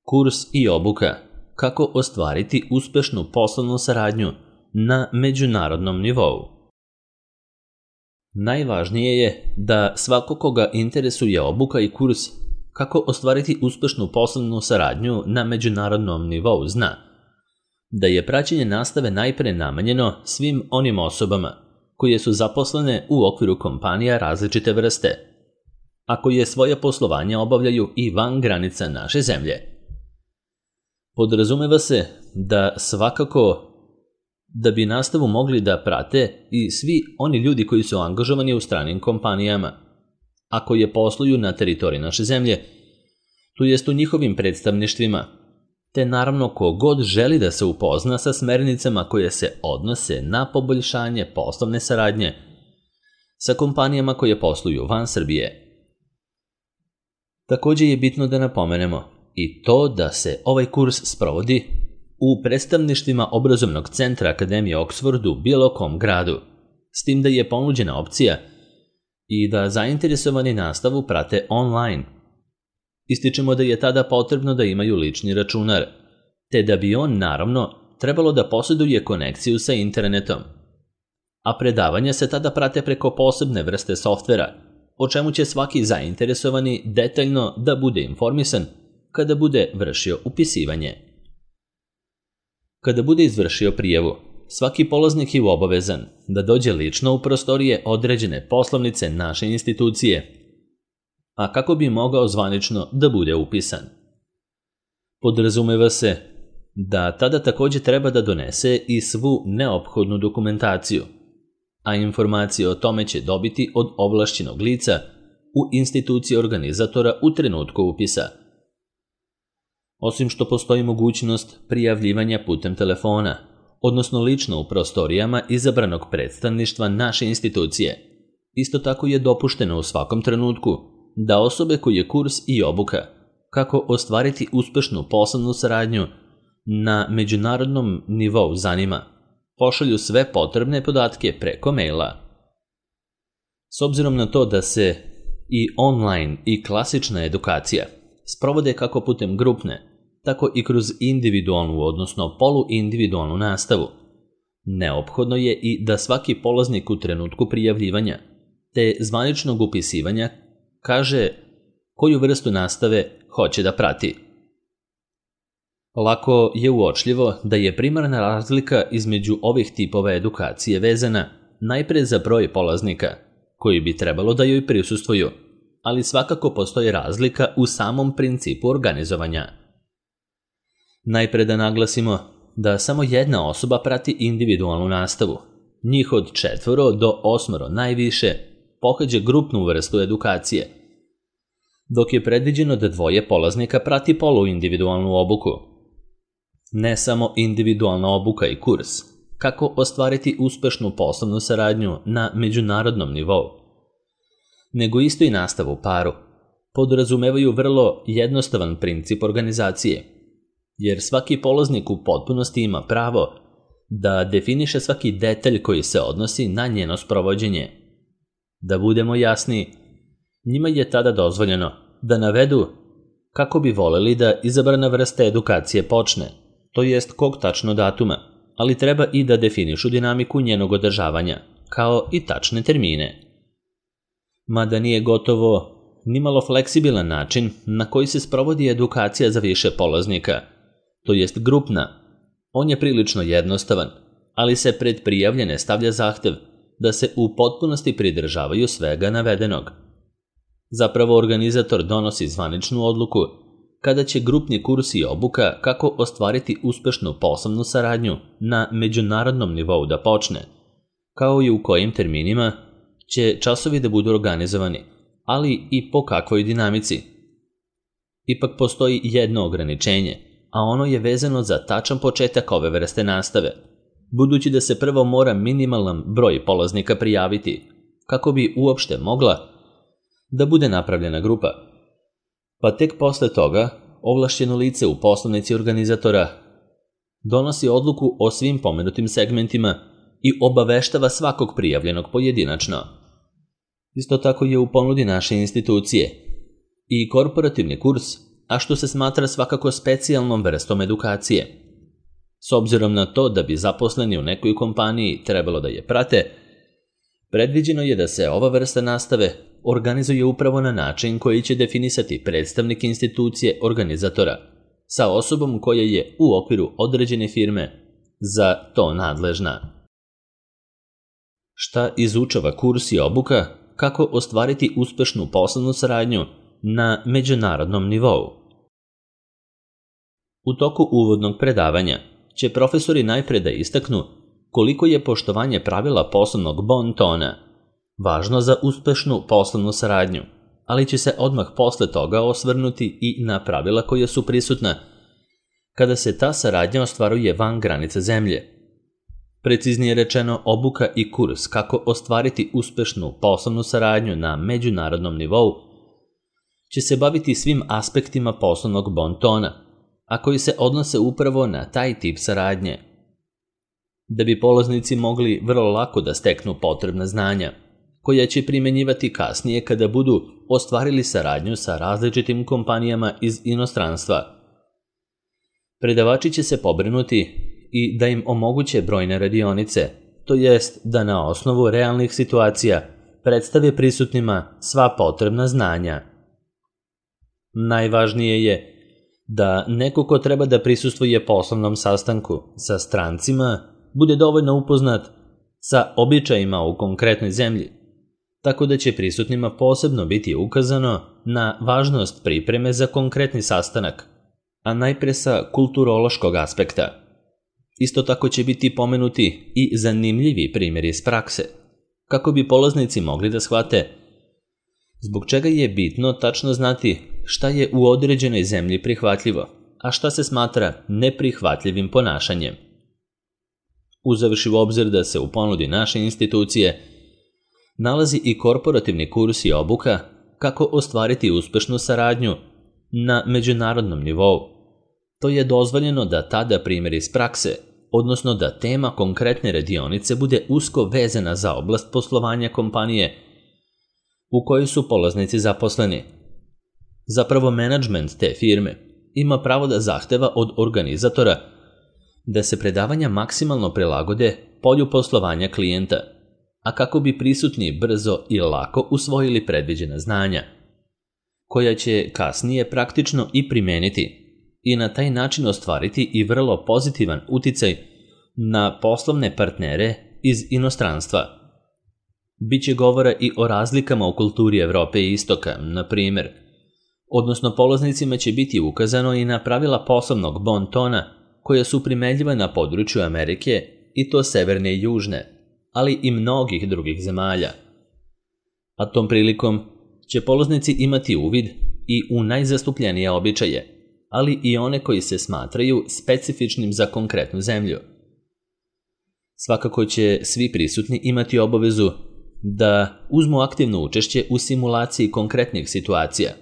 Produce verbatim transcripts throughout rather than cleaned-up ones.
Kurs i obuka kako ostvariti uspešnu poslovnu saradnju na međunarodnom nivou. Najvažnije je da svako koga interesuje obuka i kurs kako ostvariti uspešnu poslovnu saradnju na međunarodnom nivou zna da je praćenje nastave najpre namenjeno svim onim osobama koje su zaposlene u okviru kompanija različite vrste, a koje svoje poslovanje obavljaju i van granica naše zemlje. Podrazumeva se da svakako da bi nastavu mogli da prate i svi oni ljudi koji su angažovani u stranim kompanijama, a koje posluju na teritoriji naše zemlje, to jest u njihovim predstavništvima, te naravno ko god želi da se upozna sa smernicama koje se odnose na poboljšanje poslovne saradnje sa kompanijama koje posluju van Srbije. Također je bitno da napomenemo i to da se ovaj kurs sprovodi u predstavništvima obrazovnog centra Akademije Oxford u bilo kom gradu, s tim da je ponuđena opcija i da zainteresovani nastavu prate online. Ističemo da je tada potrebno da imaju lični računar, te da bi on naravno trebalo da posjeduje konekciju sa internetom. A predavanja se tada prate preko posebne vrste softvera, o čemu će svaki zainteresovani detaljno da bude informisan kada bude vršio upisivanje. Kada bude izvršio prijavu, svaki polaznik je obavezan da dođe lično u prostorije određene poslovnice naše institucije, a kako bi mogao zvanično da bude upisan. Podrazumeva se da tada također treba da donese i svu neophodnu dokumentaciju, a informacije o tome će dobiti od ovlašćenog lica u instituciji organizatora u trenutku upisa. Osim što postoji mogućnost prijavljivanja putem telefona, odnosno lično u prostorijama izabranog predstavništva naše institucije, isto tako je dopušteno u svakom trenutku da osobe koje kurs i obuka kako ostvariti uspešnu poslovnu saradnju na međunarodnom nivou zanima, pošalju sve potrebne podatke preko maila. S obzirom na to da se i online i klasična edukacija sprovode kako putem grupne, tako i kroz individualnu, odnosno poluindividualnu nastavu, neophodno je i da svaki polaznik u trenutku prijavljivanja te zvaničnog upisivanja kaže koju vrstu nastave hoće da prati. Lako je uočljivo da je primarna razlika između ovih tipova edukacije vezana najpre za broj polaznika koji bi trebalo da joj prisustvuju, ali svakako postoji razlika u samom principu organizovanja. Najpre da naglasimo da samo jedna osoba prati individualnu nastavu, njih od četvoro do osmoro najviše pohađa grupnu vrstu edukacije, dok je predviđeno da dvoje polaznika prati poluindividualnu obuku. Ne samo individualna obuka i kurs, kako ostvariti uspešnu poslovnu saradnju na međunarodnom nivou, nego isto i nastavu paru, podrazumevaju vrlo jednostavan princip organizacije, jer svaki polaznik u potpunosti ima pravo da definiše svaki detalj koji se odnosi na njeno sprovođenje. Da budemo jasni, njima je tada dozvoljeno da navedu kako bi voleli da izabrana vrsta edukacije počne, to jest kog tačno datuma, ali treba i da definišu dinamiku njenog održavanja, kao i tačne termine. Mada nije gotovo nimalo fleksibilan način na koji se sprovodi edukacija za više polaznika, to jest grupna, on je prilično jednostavan, ali se pred prijavljene stavlja zahtev da se u potpunosti pridržavaju svega navedenog. Zapravo organizator donosi zvaničnu odluku kada će grupni kurs i obuka kako ostvariti uspešnu poslovnu saradnju na međunarodnom nivou da počne, kao i u kojim terminima će časovi da budu organizovani, ali i po kakvoj dinamici. Ipak postoji jedno ograničenje, a ono je vezano za tačan početak ove vrste nastave, budući da se prvo mora minimalan broj polaznika prijaviti, kako bi uopšte mogla da bude napravljena grupa. Pa tek posle toga, ovlašćeno lice u poslovnici organizatora donosi odluku o svim pomenutim segmentima i obaveštava svakog prijavljenog pojedinačno. Isto tako je u ponudi naše institucije i korporativni kurs, a što se smatra svakako specijalnom vrstom edukacije. S obzirom na to da bi zaposleni u nekoj kompaniji trebalo da je prate, predviđeno je da se ova vrsta nastave organizuje upravo na način koji će definisati predstavnik institucije organizatora sa osobom koja je u okviru određene firme za to nadležna. Šta izučava kurs i obuka kako ostvariti uspešnu poslovnu saradnju na međunarodnom nivou? U toku uvodnog predavanja će profesori najpre da istaknu koliko je poštovanje pravila poslovnog bon tona važno za uspešnu poslovnu saradnju, ali će se odmah posle toga osvrnuti i na pravila koja su prisutna kada se ta saradnja ostvaruje van granice zemlje. Preciznije rečeno, obuka i kurs kako ostvariti uspešnu poslovnu saradnju na međunarodnom nivou će se baviti svim aspektima poslovnog bon tona, a koji se odnose upravo na taj tip saradnje. Da bi polaznici mogli vrlo lako da steknu potrebna znanja, koja će primenjivati kasnije kada budu ostvarili saradnju sa različitim kompanijama iz inostranstva. Predavači će se pobrinuti i da im omoguće brojne radionice, to jest da na osnovu realnih situacija predstave prisutnima sva potrebna znanja. Najvažnije je da neko ko treba da prisustvuje poslovnom sastanku sa strancima bude dovoljno upoznat sa običajima u konkretnoj zemlji, tako da će prisutnima posebno biti ukazano na važnost pripreme za konkretni sastanak, a najpre sa kulturološkog aspekta. Isto tako će biti pomenuti i zanimljivi primjeri iz prakse, kako bi polaznici mogli da shvate zbog čega je bitno tačno znati šta je u određenoj zemlji prihvatljivo, a šta se smatra neprihvatljivim ponašanjem. Uzevši u obzir da se u ponudi naše institucije nalazi i korporativni kurs i obuka kako ostvariti uspešnu saradnju na međunarodnom nivou, to je dozvoljeno da tada primjer iz prakse, odnosno da tema konkretne radionice bude usko vezana za oblast poslovanja kompanije u kojoj su polaznici zaposleni. Zapravo, menadžment te firme ima pravo da zahteva od organizatora da se predavanja maksimalno prilagode polju poslovanja klijenta, a kako bi prisutni brzo i lako usvojili predviđena znanja, koja će kasnije praktično i primeniti i na taj način ostvariti i vrlo pozitivan uticaj na poslovne partnere iz inostranstva. Biće govora i o razlikama u kulturi Evrope i Istoka, na primjer, odnosno polaznicima će biti ukazano i na pravila poslovnog bon tona koja su primenljiva na području Amerike, i to severne i južne, ali i mnogih drugih zemalja. A tom prilikom će polaznici imati uvid i u najzastupljenije običaje, ali i one koji se smatraju specifičnim za konkretnu zemlju. Svakako će svi prisutni imati obavezu da uzmu aktivno učešće u simulaciji konkretnih situacija,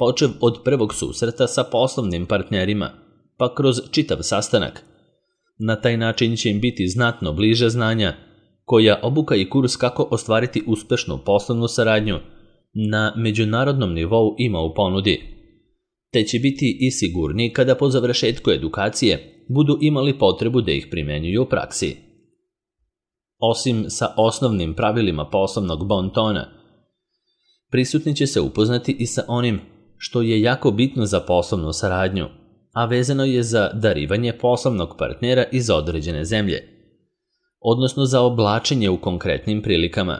počev od prvog susreta sa poslovnim partnerima, pa kroz čitav sastanak. Na taj način će im biti znatno bliže znanja koja obuka i kurs kako ostvariti uspešnu poslovnu saradnju na međunarodnom nivou ima u ponudi, te će biti i sigurni kada po završetku edukacije budu imali potrebu da ih primenjuju u praksi. Osim sa osnovnim pravilima poslovnog bon tona, prisutni će se upoznati i sa onim što je jako bitno za poslovnu saradnju, a vezano je za darivanje poslovnog partnera iz određene zemlje, odnosno za oblačenje u konkretnim prilikama.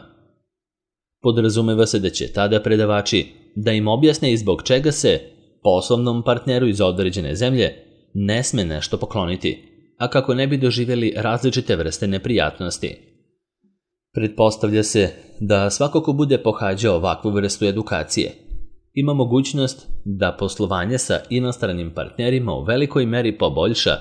Podrazumeva se da će tada predavači da im objasne i zbog čega se poslovnom partneru iz određene zemlje ne sme nešto pokloniti, a kako ne bi doživjeli različite vrste neprijatnosti. Pretpostavlja se da svako ko bude pohađao ovakvu vrstu edukacije ima mogućnost da poslovanje sa inostranim partnerima u velikoj meri poboljša,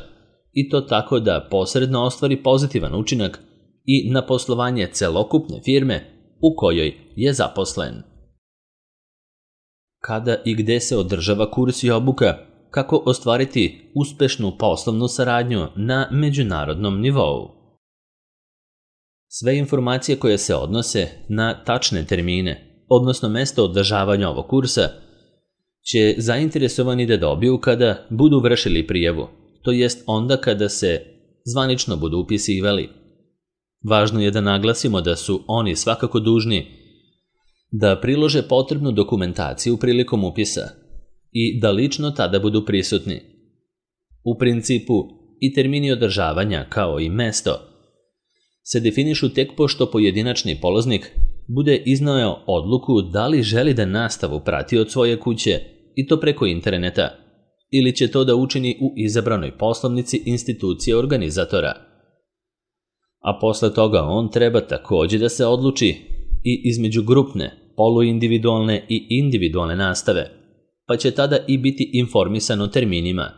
i to tako da posredno ostvari pozitivan učinak i na poslovanje celokupne firme u kojoj je zaposlen. Kada i gde se održava kurs i obuka kako ostvariti uspešnu poslovnu saradnju na međunarodnom nivou? Sve informacije koje se odnose na tačne termine, odnosno mesto održavanja ovog kursa, će zainteresovani da dobiju kada budu vršili prijavu, to jest onda kada se zvanično budu upisivali. Važno je da naglasimo da su oni svakako dužni da prilože potrebnu dokumentaciju prilikom upisa i da lično tada budu prisutni. U principu i termini održavanja kao i mesto se definišu tek pošto pojedinačni polaznik bude izneo odluku da li želi da nastavu prati od svoje kuće i to preko interneta ili će to da učini u izabranoj poslovnici institucije organizatora. A posle toga on treba takođe da se odluči i između grupne, poluindividualne i individualne nastave, pa će tada i biti informisan o terminima,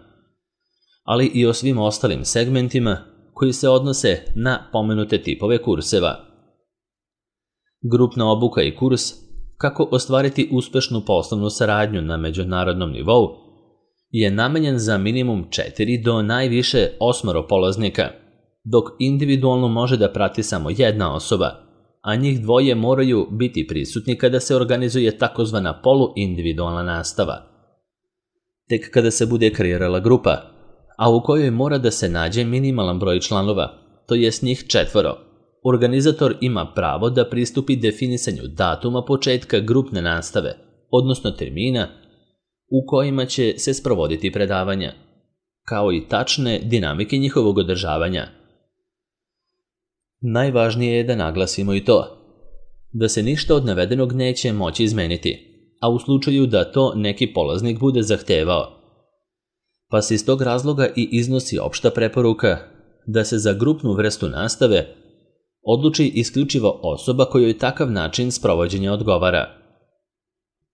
ali i o svim ostalim segmentima koji se odnose na pomenute tipove kurseva. Grupna obuka i kurs kako ostvariti uspešnu poslovnu saradnju na međunarodnom nivou je namenjen za minimum četiri do najviše osmoro polaznika, dok individualno može da prati samo jedna osoba, a njih dvoje moraju biti prisutni kada se organizuje takozvana poluindividualna nastava. Tek kada se bude kreirala grupa, a u kojoj mora da se nađe minimalan broj članova, to jest njih četvoro, organizator ima pravo da pristupi definisanju datuma početka grupne nastave, odnosno termina u kojima će se sprovoditi predavanja, kao i tačne dinamike njihovog održavanja. Najvažnije je da naglasimo i to, da se ništa od navedenog neće moći izmeniti, a u slučaju da to neki polaznik bude zahtevao, pa se iz tog razloga i iznosi opšta preporuka da se za grupnu vrstu nastave odluči isključivo osoba kojoj takav način sprovođenja odgovara.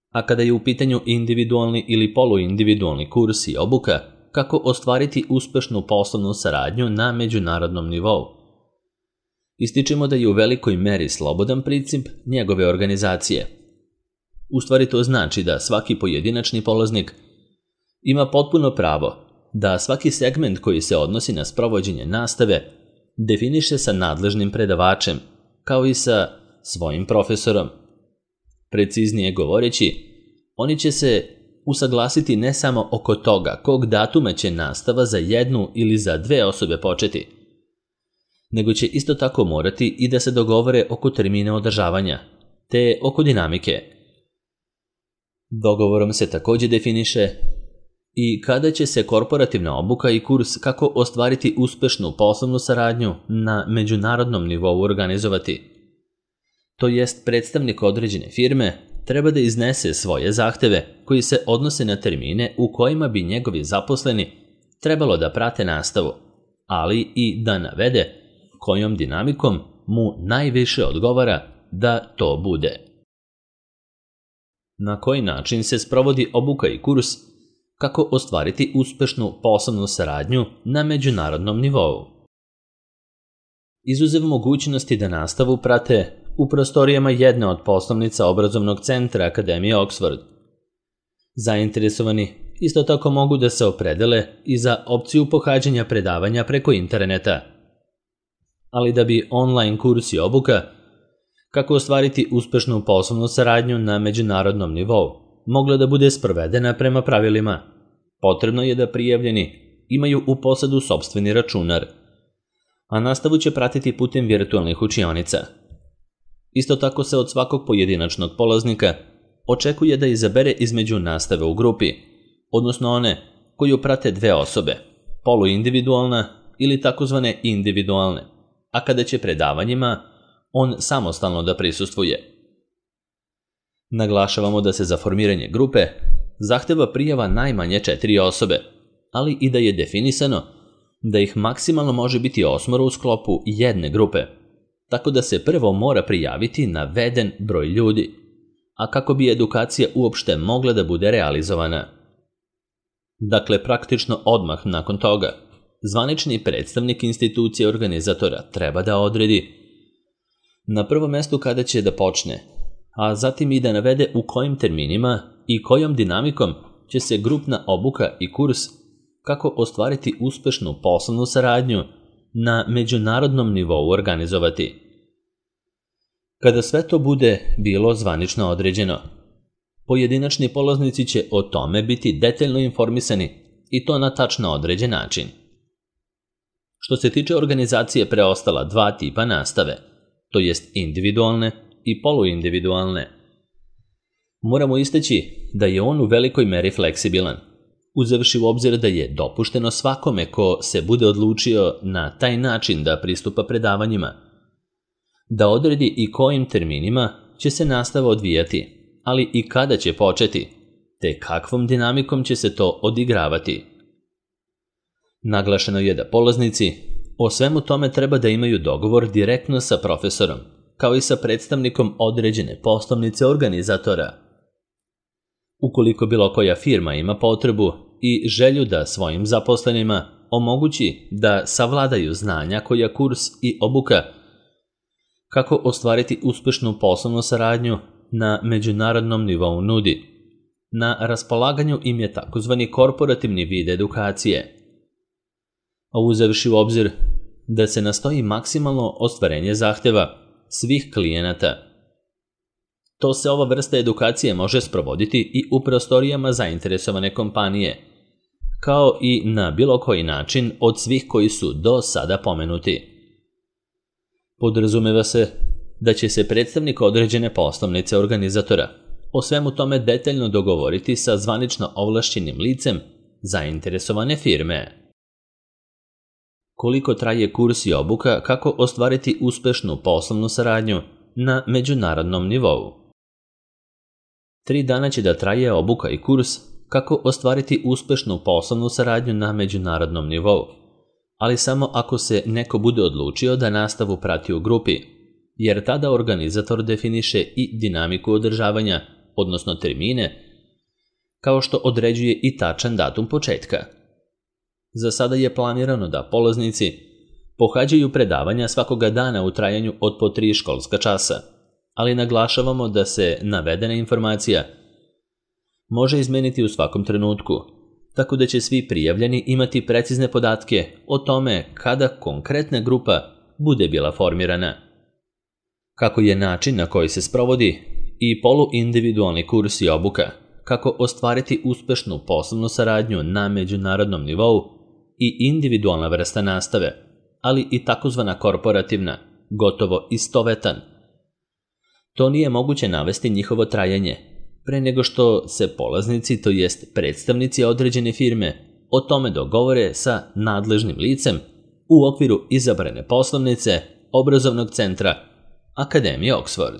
A kada je u pitanju individualni ili poluindividualni kurs i obuka, kako ostvariti uspešnu poslovnu saradnju na međunarodnom nivou, ističemo da je u velikoj meri slobodan princip njegove organizacije. U stvari to znači da svaki pojedinačni polaznik ima potpuno pravo da svaki segment koji se odnosi na sprovođenje nastave definiše sa nadležnim predavačem, kao i sa svojim profesorom. Preciznije govoreći, oni će se usaglasiti ne samo oko toga kog datuma će nastava za jednu ili za dve osobe početi, nego će isto tako morati i da se dogovore oko termina održavanja, te oko dinamike. Dogovorom se takođe definiše i kada će se korporativna obuka i kurs kako ostvariti uspešnu poslovnu saradnju na međunarodnom nivou organizovati. To jest predstavnik određene firme treba da iznese svoje zahteve koji se odnose na termine u kojima bi njegovi zaposleni trebalo da prate nastavu, ali i da navede kojom dinamikom mu najviše odgovara da to bude. Na koji način se sprovodi obuka i kurs kako ostvariti uspešnu poslovnu saradnju na međunarodnom nivou. Izuzev mogućnosti da nastavu prate u prostorijama jedne od poslovnica obrazovnog centra Akademije Oxford. Zainteresovani isto tako mogu da se opredele i za opciju pohađanja predavanja preko interneta. Ali da bi online kurs i obuka kako ostvariti uspešnu poslovnu saradnju na međunarodnom nivou mogla da bude sprovedena prema pravilima, potrebno je da prijavljeni imaju u posadu sopstveni računar, a nastavu će pratiti putem virtualnih učionica. Isto tako se od svakog pojedinačnog polaznika očekuje da izabere između nastave u grupi, odnosno one koju prate dve osobe, poluindividualna ili takozvane individualne, a kada će predavanjima on samostalno da prisustvuje. Naglašavamo da se za formiranje grupe zahteva prijava najmanje četiri osobe, ali i da je definisano da ih maksimalno može biti osmoro u sklopu jedne grupe, tako da se prvo mora prijaviti naveden broj ljudi, a kako bi edukacija uopšte mogla da bude realizovana. Dakle, praktično odmah nakon toga, zvanični predstavnik institucije organizatora treba da odredi na prvom mestu kada će da počne, a zatim i da navede u kojim terminima i kojom dinamikom će se grupna obuka i kurs kako ostvariti uspešnu poslovnu saradnju na međunarodnom nivou organizovati. Kada sve to bude bilo zvanično određeno, Pojedinačni polaznici će o tome biti detaljno informisani i to na tačno određen način. Što se tiče organizacije preostala dva tipa nastave, to jest individualne i poluindividualne, moramo istaći da je on u velikoj meri fleksibilan, uzevši u obzir da je dopušteno svakome ko se bude odlučio na taj način da pristupa predavanjima, da odredi i kojim terminima će se nastava odvijati, ali i kada će početi, te kakvom dinamikom će se to odigravati. Naglašeno je da polaznici o svemu tome treba da imaju dogovor direktno sa profesorom, kao i sa predstavnikom određene poslovnice organizatora. Ukoliko bilo koja firma ima potrebu i želju da svojim zaposlenima omogući da savladaju znanja koja kurs i obuka, kako ostvariti uspešnu poslovnu saradnju na međunarodnom nivou nudi, na raspolaganju im je takozvani korporativni vid edukacije. A uzevši u obzir da se nastoji maksimalno ostvarenje zahteva svih klijenata, to se ova vrsta edukacije može sprovoditi i u prostorijama zainteresovane kompanije, kao i na bilo koji način od svih koji su do sada pomenuti. Podrazumeva se da će se predstavnik određene poslovnice organizatora o svemu tome detaljno dogovoriti sa zvanično ovlašćenim licem zainteresovane firme. Koliko traje kurs i obuka kako ostvariti uspešnu poslovnu saradnju na međunarodnom nivou? Tri dana će da traje obuka i kurs kako ostvariti uspešnu poslovnu saradnju na međunarodnom nivou, ali samo ako se neko bude odlučio da nastavu prati u grupi, jer tada organizator definiše i dinamiku održavanja, odnosno termine, kao što određuje i tačan datum početka. Za sada je planirano da polaznici pohađaju predavanja svakoga dana u trajanju od po tri školska časa, ali naglašavamo da se navedena informacija može izmeniti u svakom trenutku, tako da će svi prijavljeni imati precizne podatke o tome kada konkretna grupa bude bila formirana. Kako je način na koji se sprovodi i poluindividualni kurs i obuka, kako ostvariti uspešnu poslovnu saradnju na međunarodnom nivou i individualna vrsta nastave, ali i takozvana korporativna, gotovo istovetan. To nije moguće navesti njihovo trajanje, pre nego što se polaznici, to jest predstavnici određene firme, o tome dogovore sa nadležnim licem u okviru izabrane poslovnice obrazovnog centra Akademije Oxford.